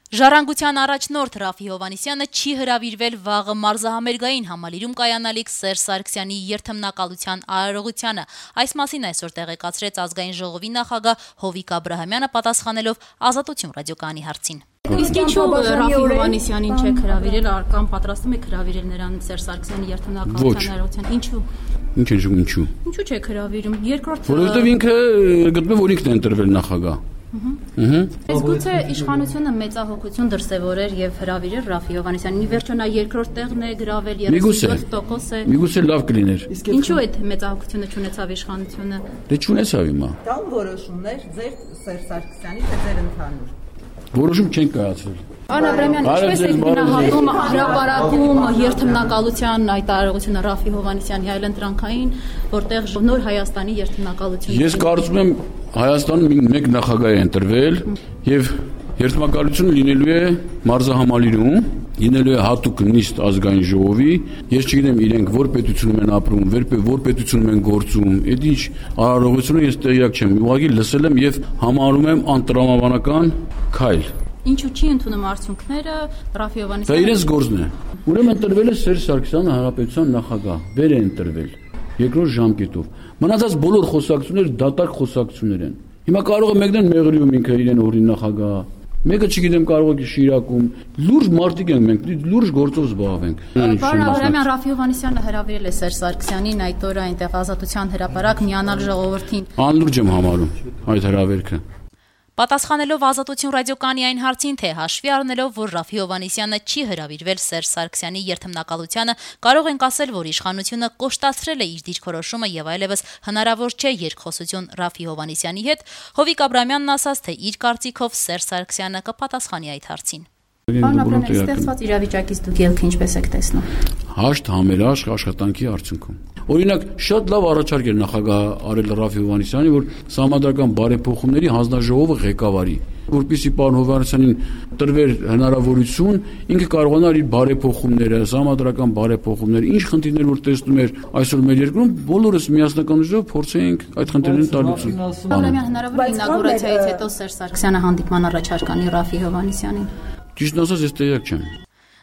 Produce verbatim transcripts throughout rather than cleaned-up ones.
Ժառանգության առաջնորդ Ռաֆի Հովհաննիսյանը չի հրավիրվել վաղը մարզահամերգային համալիրում կայանալիք Սերժ Սարգսյանի երթմնակալության արարողությանը։ Այս մասին այսօր տեղեկացրեց ազգային ժողովի նախագահ Հովիկ Աբրահամյանը պատասխանելով Ազատություն ռադիոկայանի հարցին։ Իսկ ինչու Ռաֆի Հովհաննիսյանին չեք հրավիրել, կամ պատրաստում եք հրավիրել նրան Սերժ Սարգսյանի երթմնակալության արարողության։ Ինչու։ Ինչ է ինչու։ Ինչու չեք հրավիրում։ Երկրորդ Որովհետև ինքը գտնում է որ ինքն է ընտրվել նախագահ։ Իսկ գուցե իշխանությունը մեծահոգություն դրսևորեր եւ հրավիրեր Ռաֆի Հովհաննիսյանին։ Ի վերջո նա երկրորդ տեղն է գրավել երեսունյոթ տոկոս է։ Միգուցե լավ կլիներ։ Ինչու այդ մեծահոգությունը չունեցավ իշխանությունը։ Դե չունեցավ հիմա։ Կան որոշումներ ձեր Սերժ Սարգսյանի թե ձեր ընդհանուր։ Որոշում չեն կայացրել։ Պարոն Աբրահամյան, ինչպես եք գնահատում հրապարակում երթմնակալության այդ արարողությունը Ռաֆի Հովհաննիսյանի այլընտրանքային, որտեղ նոր Հայաստանի երթմնակալությունը։ Ես կարծում եմ Հայաստանում մեկ նախագահ է ընտրվել եւ երթմնակալությունը լինելու է մարզահամալիրում, լինելու է հատուկ նիստ ազգային ժողովի։ Ես չգիտեմ իրենք որ պետությունում են ապրում, որ պետությունում են գործում, այդ ինչ արարողությունը ես տեղյակ չեմ։ Ուղղակի լսել եմ եւ համարում եմ անտրամաբանական քայլ։ Ինչու չի ընդունում արդյունքները Ռաֆի Հովհաննիսյանը։ Դա իրենց գործն է։ Ուրեմն ընտրվել է Սերժ Սարգսյանը հանրապետության նախագահ, վեր է ընտրվել երկրորդ ժամկետով։ Մնացած բոլոր խոսակցությունները դատարկ խոսակցություններ են։ Հիմա կարող է մեկն մեղրիում ինքը իրեն օրին նախագահ, մեկը չգիտեմ կարող է Շիրակում, լուրջ մարդիկ ենք մենք, լուրջ գործով զբաղվենք։ Պարոն Աբրահամյան, Ռաֆի Հովհաննիսյանը հրավիրել է Սերժ Սարգսյանին այդ օրը այնտեղ Ազատության հրապարակ միանալ ժողովրդին։ Անլուրջ եմ համարում այդ հրավերքը։ Պատասխանելով Ազատություն ռադիոկայանի այն հարցին, թե հաշվի առնելով, որ Ռաֆի Հովհաննիսյանը չի հրավիրվել Սերժ Սարգսյանի երթմնակալությանը, կարող ենք ասել, որ իշխանությունը կոշտացրել է իր դիրքորոշումը եւ այլևս հնարավոր չէ երկխոսություն Ռաֆի Հովհաննիսյանի հետ, Հովիկ Աբրահամյանն ասաց, թե իր կարծիքով Սերժ Սարգսյանը կպատասխանի այդ հարցին։ Պարոն Աբրահամյան, ստեղծված իրավիճակից դուք ելքը ինչպես եք տեսնում։ Հաշտ համերաշխ աշխատանքի արդյունքում։ Օրինակ, շատ լավ առաջարկ էր նախագահ արել Ռաֆի Հովհաննիսյանի, որ Սահմանադրական բարեփոխումների հանձնաժողովը ղեկավարի, որպեսզի պարոն Հովհաննիսյանին տրվեր հնարավորություն, ինքը կարողանար իր բարեփոխումները, Սահմանադրական բարեփոխումները, ինչ խնդիրներ որ տեսնում էր այսօր մեր երկրում, բոլորս միասնականությամբ փորձենք այդ խնդիրներին տալ լուծում։ Աբրահամյան, հնարավոր է ինագուրացիայից հետո Սերժ Սարգսյանը հանդիպման առաջարկ անի Ռաֆի Հովհաննիսյանին։ Ճիշտն ասած, ես տեղյակ չեմ։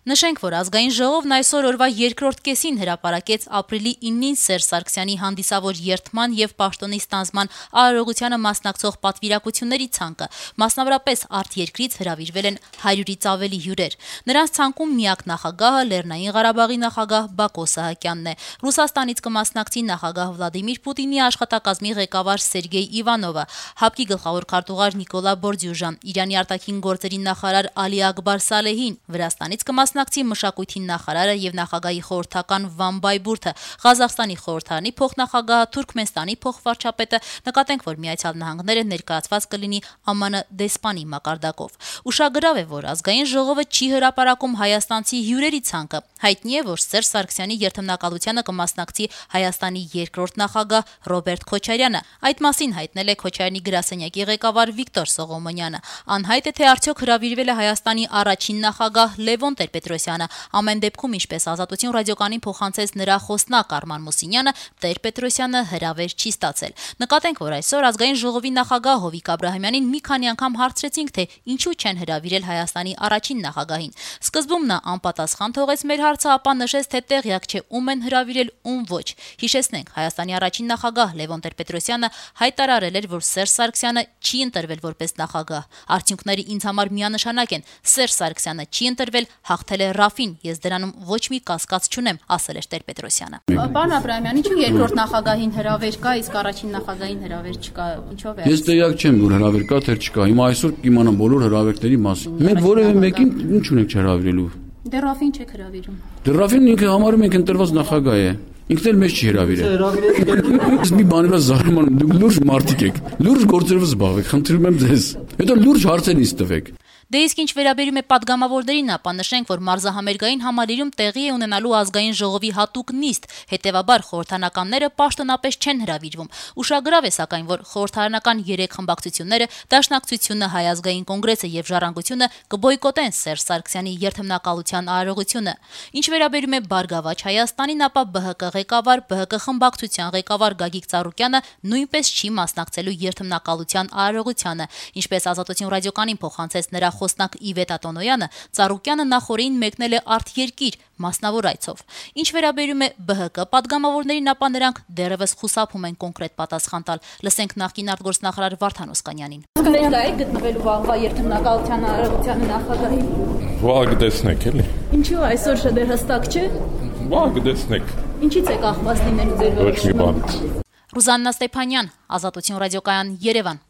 Նշենք, որ ազգային ժողովն այսօր օրվա երկրորդ կեսին հրապարակեց ապրիլի իննին Սերժ Սարգսյանի հանդիսավոր երթման եւ պաշտոնի ստանձնման արարողությանը մասնակցող պատվիրակությունների ցանկը, մասնավորապես արտերկրից հրավիրվել են հարյուրից ավելի հյուրեր։ Նրանց ցանկում միակ նախագահը Լեռնային Ղարաբաղի նախագահ Բակո Սահակյանն է։ Ռուսաստանից կմասնակցի նախագահ Վլադիմիր Պուտինի աշխատակազմի ղեկավար Սերգեյ Իվանովը, ՀԱՊԿ-ի գլխավոր քարտուղար Նիկոլա Բորդյուժան, Իրանի արտաքին գործերի նախարար Ալի Ակբար Սալեհին, Վրաստանից կմասնակցի մշակույթի նախարարը եւ նախագահի խորհրդական Վան Բայբուրթը, Ղազախստանի խորհրդարանի փոխնախագահը, Թուրքմենստանի փոխվարչապետը, նկատենք, որ Միացյալ Նահանգները ներկայացված կլինի ԱՄՆ դեսպանի մակարդակով։ Ուշագրավ է, որ ազգային ժողովը չի հրապարակում հայաստանցի հյուրերի ցանկը։ Հայտնի է, որ Սերժ Սարգսյանի երթմնակալությանը կմասնակցի Հայաստանի երկրորդ նախագահ Ռոբերտ Քոչարյանը։ Այդ մասին հայտնել է Քոչարյանի գրասենյակի ղեկավար Վիկտոր Սողոմոնյանը։ Անհայտ է, թե արդյոք հրավիրվել է Հայաստանի առաջին նախագահ Լևոն Տեր-Պետրոսյանը։ Ամեն դեպքում, ինչպես Ազատություն ռադիոկայանին փոխանցեց նրա խոսնակ Արման Մուսինյանը, Տեր-Պետրոսյանը հրավեր չի ստացել։ Նկատենք, որ այսօր ազգային ժողովի նախագահ Հովիկ Աբրահամյանին մի քանի անգամ հարցրեցինք, թե ինչու չեն հրավիրել Հայաստանի առաջին նախագահին։ Սկզբում նա անպատասխան թողեց մեր հարցը, ապա նշեց, թե տեղյակ չէ ում են հրավիրել, ում ոչ։ Հիշեցնենք, Հայաստանի առաջին նախագահ Լևոն Տեր-Պետրոսյանը հայտարարել էր, որ Սերժ Սարգսյանը չի ընտրվել որպես նախագահ։ Արդյունքները ինձ համար միանշանակ են։ Սերժ Սարգսյանը չի ընտրվել, հաղթել է Ռաֆին, ես դրանում ոչ մի կասկած չունեմ, ասել էր Տեր-Պետրոսյանը։ Պարոն Աբրահամյան, ինչու երկրորդ նախագահին հրավեր կա, իսկ առաջին նախագահին հրավեր չկա, ինչով է։ Ես տեղյակ չեմ, որ հրավեր կա, թե չկա։ Հիմա այսօր կիմանամ բոլոր հրավերների մասին։ Մենք որևէ մեկին ինչ ունենք չհրավիրելու։ Դե Ռաֆին չեք հրավիրում։ Դե Ռաֆին ինքը համարում ենք ընտրված նախագահ է։ Ինքն էլ մեզ չի հրավիրել։ Ես մի բանի վրա զարմանում, դուք լուրջ մարդիկ եք, լուրջ գործերով զբաղվեք, խնդրում եմ ձեզ։ Հետո լուրջ հարցեր ինձ տվեք։ Դե իսկ ինչ վերաբերում է պատգամավորներին, ապա նշենք, որ մարզահամերգային համալիրում տեղի է ունենալու ազգային ժողովի հատուկ նիստ, հետևաբար խորհրդարանականները պաշտոնապես չեն հրավիրվում։ Ուշագրավ է սակայն, որ խորհրդարանական երեք խմբակցությունները, Դաշնակցությունը, Հայ ազգային կոնգրեսը եւ Ժառանգությունը կբոյկոտեն Սերժ Սարգսյանի երթմնակալության արարողությունը։ Ինչ վերաբերում է Բարգավաճ Հայաստանին, ապա ԲՀԿ ղեկավար, ԲՀԿ խմբակցության ղեկավար Գագիկ Ծառուկյանը նույնպես չի մասնակցելու երթմնակալության արարողությանը, ինչպես Ազատություն ռադիոկայանին փոխանցեց նրա խոսնակ Իվետ Ատոնոյանը Ծառուկյանը նախորդին մեկնել է արտերկիր մասնավոր այցով։ Ինչ վերաբերում է B H K պատգամավորներին, ապա նրանք դեռևս խուսափում են կոնկրետ պատասխան տալ։ Լսենք նախկին արտգործնախարար Վարդան Օսկանյանին։ Ներկա է գտնվելու վաղվա երթմնակալության արարողության նախագահի։ Վաղ կտեսնեք էլի։ Ինչու այսօր շատեր հստակ չէ։ Վաղ կտեսնեք։ Ինչից է կախված լինելու ձեր Ոչ մի բան։ Ռուզաննա Ստեփանյան, Ազատություն ռադիոկայան, Երևան։